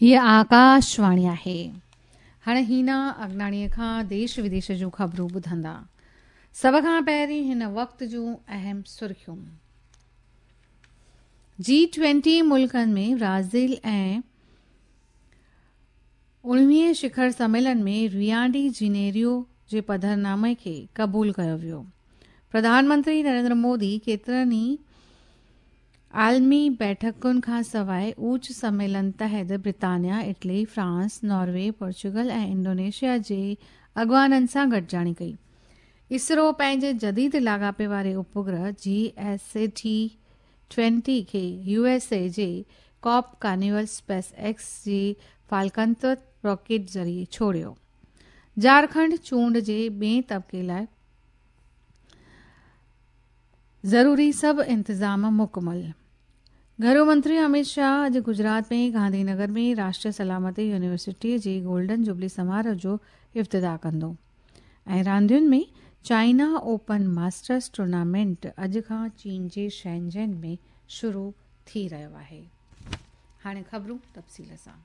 هيء آڪاشواڻي آهي. هاڻي هينا اگناڻيء کان ديش وديش جون خبرون ٻڌندا. سڀ کان پهرين هن وقت جون اهم سرخيون. جي ٽوئنٽي ملڪن ۾ برازيل ۽ اڻويهين شکر سميلن ۾ ريو ڊي جنيرو جي پڌرنامي کي قبول ڪيو ويو. پرڌان منتري نريندر مودي ڪيترن ئي عالمي بيٺڪن کانسواء اوچ سميلن تحت برطانيا، Italy, France, Norway, Portugal ۽ Indonesia جي اڳواڻن سان گڏجاڻي ڪئي. اسرو پنهنجي جديد لاڳاپي واري اپگرهه جي ايس اي ٽي ٽوئنٽي کي يو ايس اي جي ڪاپ ڪارنيول اسپيس ايڪس جي فالڪن راڪيٽ ذريعي ڇوڙيو. جهارکنڊ چونڊ جي ٻئين طبقي لاء ضروري سڀ انتظام مڪمل. گهرو منتري اميت شاهه اڄ گجرات ۾ گانڌي نگر ۾ راشٽريه سلامتي يونيورسٽيء جي گولڊن جوبلي سماروهه جو افتتاح ڪندو ۽ راندين ۾ چائنا اوپن ماسٽرس ٽورنامينٽ اڄ کان چين جي شينزين ۾ شروع ٿي رهيو آهي. هاڻي خبرون تفصيل سان.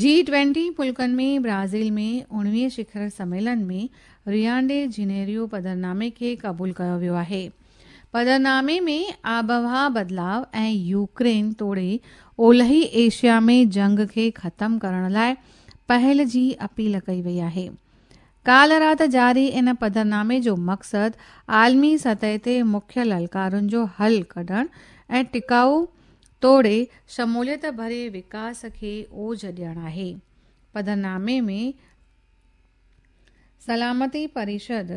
جي ٽوئنٽي ملڪن ۾ برازيل ۾ اڻويهين شکر سميلن ۾ ريو ڊي جنيرو پڌرنامي کي قبول ڪيو ويو آهي. پڌرنامي ۾ آبهوا بدلاء ۽ يوڪرين توڙي اولهي ايشيا ۾ جنگ کي ختم ڪرڻ لاء پهل جي اپيل ڪئي وئي آهي. ڪالهه رات جاري ان پڌرنامي جو مقصد عالمي سطح تي مکيه للڪارن جو حل ڪڍڻ ۽ ٽڪائو توڙي شموليت ڀري وڪاس کي اوج ڏيڻ آهي. پڌرنامي ۾ سلامتي پريشد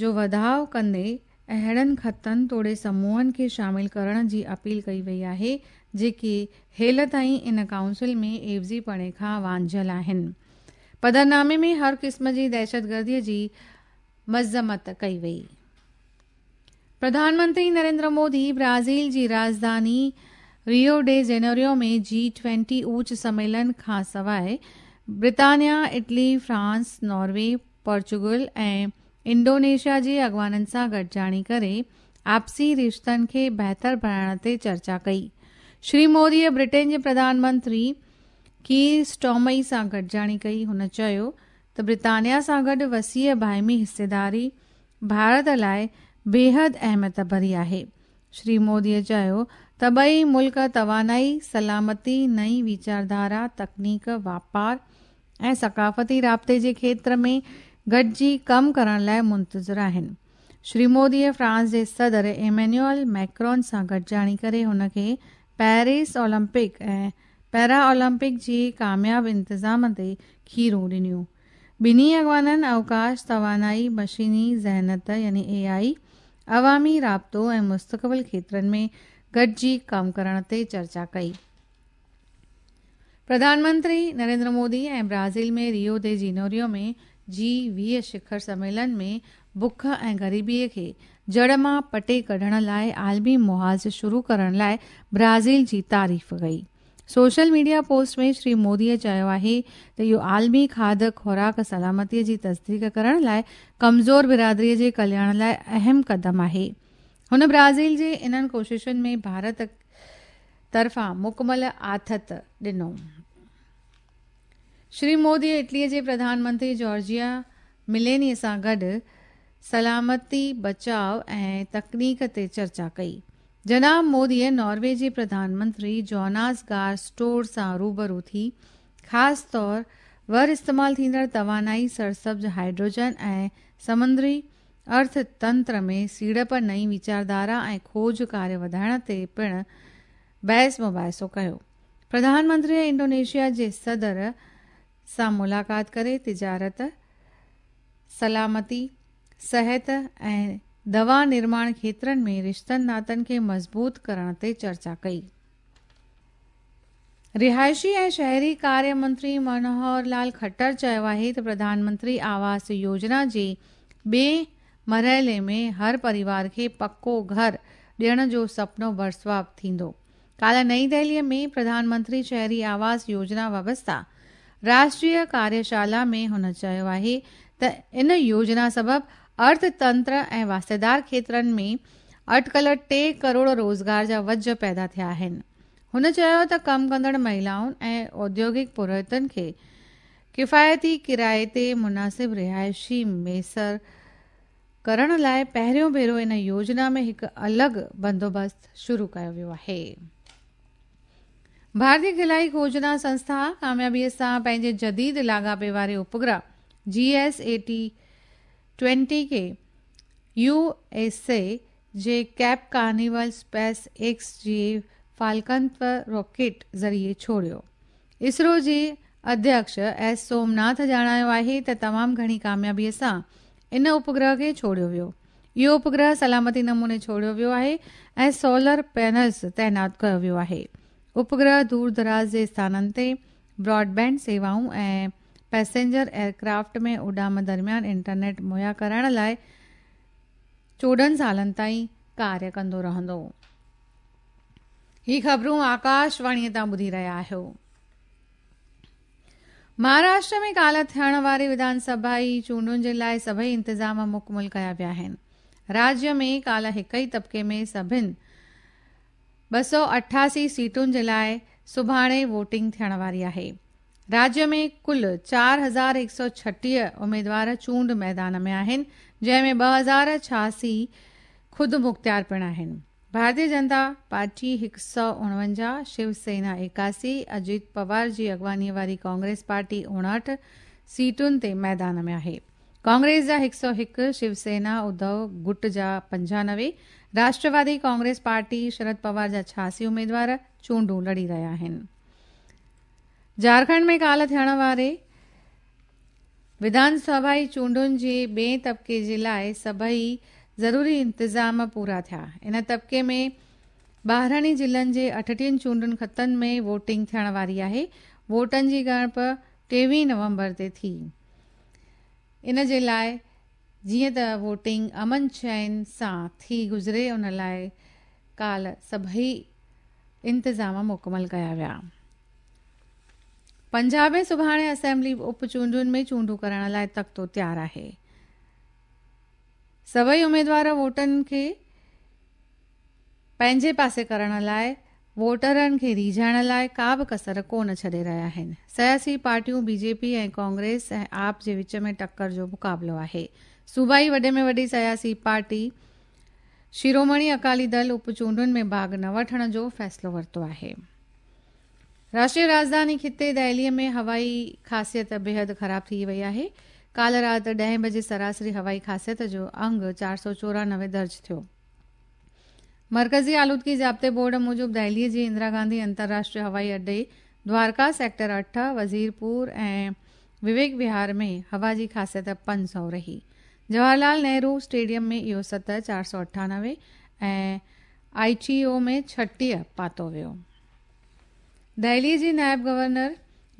جو وڌاء ڪندي اهڙن خطن توڙي سموهن کي شامل ڪرڻ جي اپيل ڪئي وئي آهي جيڪي هيل تائين ان ڪائونسل ۾ عيوضي پڻي کان وانجهيل آهن. پڌرنامي ۾ هر قسم جي دهشتگردي جي مذمت ڪئي وئي. پرڌان منتري نريندر مودي برازيل جي راڄڌاني ريو ڊي جنيرو ۾ جي ٽوئنٽي اوچ سميلن کانسواء برطانيا، Italy, France, Norway, Portugal ۽ Indonesia جي اڳواڻن سان گڏجاڻي ڪري آپسي رشتن کي بهتر بڻائڻ تي چرچا ڪئي. شري مودي برٽين جي پرڌان منتري ڪير اسٽارمر سان گڏجاڻي ڪئي. هن چيو ته برطانيا سان گڏ وسيع باهمي حصيداري ڀارت لاء بيحد اهميت ڀري آهي. شري مودي چيو ته ٻئي ملڪ توانائي، سلامتي، نئين ويچارڌارا، تڪنيڪ، واپار ۽ ثقافتي رابطي جي کيتر ۾ گڏجي ڪم ڪرڻ لاء منتظر آهن. شري مودي فرانس جي صدر ايمينيول ميڪرون سان گڏجاڻي ڪري هن کي پيرس اولمپڪ ۽ پيرا اولمپڪ جي ڪامياب انتظام تي کيرون ڏنيون. ٻنهي اڳواڻن اوڪاش، توانائي، مشيني ذهنت يعني اي آء، عوامي رابطو ۽ مستقبل کيترن ۾ گڏجي ڪم ڪرڻ تي چرچا ڪئي. پرڌان منتري نريندر مودي ۽ برازيل ۾ ريو the Janeiro ۾ جي 20 شکر سميلن ۾ بک ۽ غريبي کي جڙ مان پٽي ڪڍڻ لاء عالمي محاذ شروع ڪرڻ لاء برازيل جي تعريف ڪئي. Social media post ۾ Shri Modi چيو آهي ته اهو عالمي کاڌ خوراڪ سلامتي جي تصديق ڪرڻ لاء ڪمزور برادري جي ڪلياڻ لاء اهم قدم آهي. هن برازيل جي انهن ڪوششن ۾ ڀارت طرفان مڪمل آٿت ڏنو. شري مودي اٽلي جي پرڌان منتري جارجيا مليني سان گڏ سلامتي، بچاء ۽ تڪنيڪ تي چرچا ڪئي. جناب مودي ناروي جي پرڌان منتري جوناس گار اسٽور سان روبرو ٿي خاص طور ور استعمال ٿيندڙ توانائي، سرسبز هائيڊروجن ۽ سمندري ارٿ تنتر ۾ سيڙپ، نئين ويچارڌارا ۽ کوج ڪاريه وڌائڻ تي پڻ بحث مباحثو ڪيو. پرڌان منتري انڊونيشيا جي صدر سان ملاقات ڪري تجارت، سلامتي، صحت ۽ دوا نرماڻ کيترن ۾ رشتن ناتن کي مضبوط ڪرڻ تي چرچا ڪئي. رهائشي ۽ شهري ڪاريه منتري منوهر لال کٽر چيو آهي ته پرڌان منتري آواس يوجنا جي ٻئين مرحلي ۾ هر پريوار کي پڪو گهر ڏيڻ جو سپنو برسواب ٿيندو. ڪالهه نئين دهلي ۾ پرڌان منتري شهري آواس يوجنا وابسته راشٽريه ڪاريشالا ۾ هن چيو آهي ته ان يوجنا سبب ارٿ تنتر ۽ واسطيدار کيترن ۾ اٽڪل 3 ڪروڙ روزگار جا وجهه پيدا ٿيا آهن. هن چيو ته ڪم ڪندڙ مهلائن ۽ اوديوگڪ پورهيتن کي ڪفايتي ڪرائي تي مناسب رهائشي ميسر ڪرڻ لاءِ پهريون ڀيرو ان يوجنا ۾ هڪ الڳ بندوبست شروع ڪيو ويو آهي. ڀارتيه خلائي کوجنا سنسٿا ڪاميابيءَ سان پنهنجي جديد لاڳاپي واري اپگرهه جي ايس اي ٽي 20 کي يو ايس اي جي ڪيپ ڪارنيول اسپيس ايڪس جي فالڪن راڪيٽ ذريعي ڇوڙيو. اسرو جي اڌيڪش ايس سومناٿ ڄاڻايو آهي ته تمام گهڻي ڪاميابيءَ سان ان اپگرهه کي ڇوڙيو ويو. اهو اپگرهه سلامتي نموني ڇوڙيو ويو آهي ۽ سولر پينلز تعينات ڪيو ويو آهي. اپگرهه دور دراز جي اسٿانن تي براڊ بينڊ سيوائون ۽ پئسينجر ايئرڪرافٽ ۾ اڏام درميان انٽرنيٽ مهيا ڪرائڻ لاءِ 14 سالن تائين ڪاريه ڪندو رهندو. هي خبرون آڪاشواڻيءَ تان ٻڌي رهيا آهيو. مهاراشٽر ۾ ڪالهه ٿيڻ واري وڌان سڀائي چونڊن جي لاءِ سڀئي انتظام مڪمل ڪيا ويا آهن. راجيه ۾ ڪالهه هڪ ئي طبقي ۾ سڀني 288 سيٽن جي لاءِ سڀاڻي ووٽنگ ٿيڻ واري آهي. راجيه ۾ ڪل 4136 اميدوار چونڊ ميدان ۾ آهن، جنهن ۾ 2086 خود مختيار پڻ آهن. ڀارتيه جنتا پارٽي 149، شو سينا 81، اجيت پوار جي اڳواڻيءَ واري ڪانگريس پارٽي 59 سيٽن تي ميدان ۾ آهي. ڪانگريس جا 101، شو سينا اڌو گٽ جا 95، راشٽروادي ڪانگريس پارٽي شرد پوار جا 86 اميدوار چونڊون لڙي رهيا آهن. جهارکنڊ ۾ ڪالهه ٿيڻ واري وڌان سڀائي چونڊن جي ٻئي طبقي جي لاءِ سڀئي ضروري انتظام پورا ٿيا. ان طبقي ۾ 12 ضلعن جي 38 چونڊن خطن ۾ ووٽنگ ٿيڻ واري آهي. ووٽن جي ڳڻپ 23 نومبر تي ٿي. ان جي لاءِ جيئن ته ووٽنگ امن چين سان ٿي گذري ان لاءِ ڪالهه سڀئي انتظام مڪمل ڪيا ويا. پنجاب ۾ سڀاڻي اسيمبلي اپ چونڊن ۾ چونڊون ڪرائڻ لاءِ تختو تيار آهي. سڀئي اميدوار ووٽن کي پنهنجي پاسي ڪرڻ لاءِ ووٽرن کي ريجهائڻ لاءِ ڪا به ڪسر ڪونه ڇڏي رهيا آهن. سياسي پارٽيون بي جي پي ۽ ڪانگريس ۽ آپ جي وچ ۾ ٽڪر جو مقابلو آهي. صوبائي وڏي ۾ وڏي سياسي پارٽي شرومڻي اڪالي دل اپ چونڊن ۾ ڀاڳ نه وٺڻ جو فيصلو ورتو آهي. راشٽريه راڄڌاني خطي دهليءَ ۾ هوائي خاصيت بيحد خراب ٿي وئي آهي. ڪالهه رات 10 بجي سراسري هوائي خاصيت جو انگ 494 درج ٿيو. مرڪزي آلودگي ضابطي بورڊ موجب دهليءَ جي اندرا گانڌي انترراشٽريه هوائي اڏي، دوارڪا سيڪٽر 8، وزيرپور ۽ وويڪ وهار ۾ هوا جي خاصيت 500 رهي. جواهر لال نهرو اسٽيڊيم ۾ اهو سطح 498 ۽ I ٽي او ۾ 36 پاتو ويو. دهليءَ جي نائب گورنر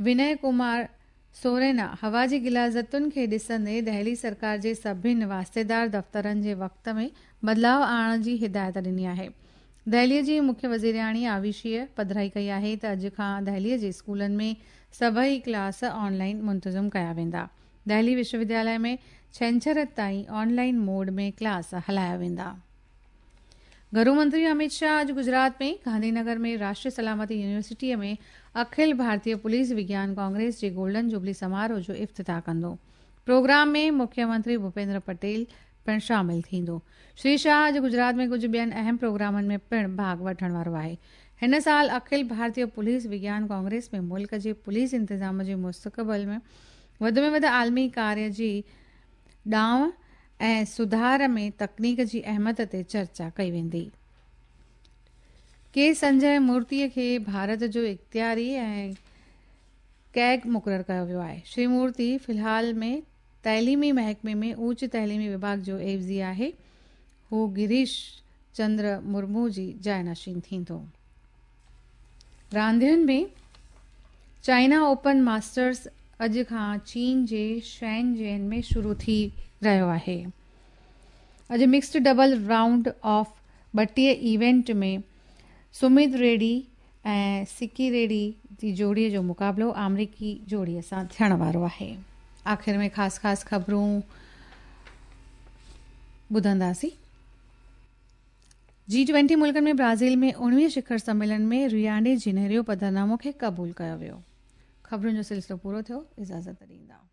وني ڪمار سورينا هوا جي غلاظتن کي ڏسندي دهلي سرڪار جي سڀني واسطيدار دفترن جي وقت ۾ بدلاءُ آڻڻ جي هدايت ڏني آهي. دهليءَ جي مکيه وزيرياڻي آويشيءَ پڌرائي ڪئي آهي ته اڄ کان دهليءَ جي اسڪولن ۾ سڀئي ڪلاس آنلائن منتظم ڪيا ويندا. دهلي وشو وديالي ۾ ڇنڇر تائين آنلائن موڊ ۾ ڪلاس هلايا ويندا. گهرو منتري امت شاهه اڄ گجرات ۾ گانڌي نگر ۾ راشٽريه سلامتي يونيورسٽيءَ ۾ اکل ڀارتيه پوليس وگيان ڪانگريس جي گولڊن جوبلي سماروهه جو افتتاح ڪندو. پروگرام ۾ مکيه منتري ڀوپيندر پٽيل پڻ شامل ٿيندو. شري شاهه اڄ گجرات ۾ ڪجهه ٻين اهم پروگرامن ۾ پڻ ڀاڳ وٺڻ وارو آهي. هن سال اکل ڀارتيه پوليس وگيان ڪانگريس ۾ ملڪ جي پوليس انتظام جي مستقبل ۾ وڌ ۾ وڌ عالمي ڪاريه جي ڏانءُ ۽ سڌار ۾ تڪنيڪ جي اهميت تي چرچا ڪئي ويندي. ڪي سنجي مورتيءَ کي ڀارت جو اختياري ۽ ڪيگ مقرر ڪيو ويو آهي. شري مورتي في الحال ۾ تعليمي محڪمي ۾ اوچ تعليمي وڀاڳ جو عيوضي آهي. هو گريش چندر مرمو جي جاءِ نشين ٿيندو. راندين ۾ چائنا اوپن ماسٽرز اڄ کان چين جي شين جين ۾ شروع ٿي رهيو آهي. اڄ mixed double round of 32 event ۾ سمت ريڊي ۽ سڪي ريڊي جي جوڙيءَ جو مقابلو آمريڪي جوڙيءَ سان ٿيڻ وارو آهي. آخر ۾ خاص خاص خبرون ٻڌنداسين. جي 20 ملڪن ۾ برازيل ۾ 19 شکر سميلن ۾ ريو ڊي جنيرو پڌرنامو کي قبول ڪيو ويو. خبرن جو سلسلو پورو ٿيو، اجازت ڏيندا.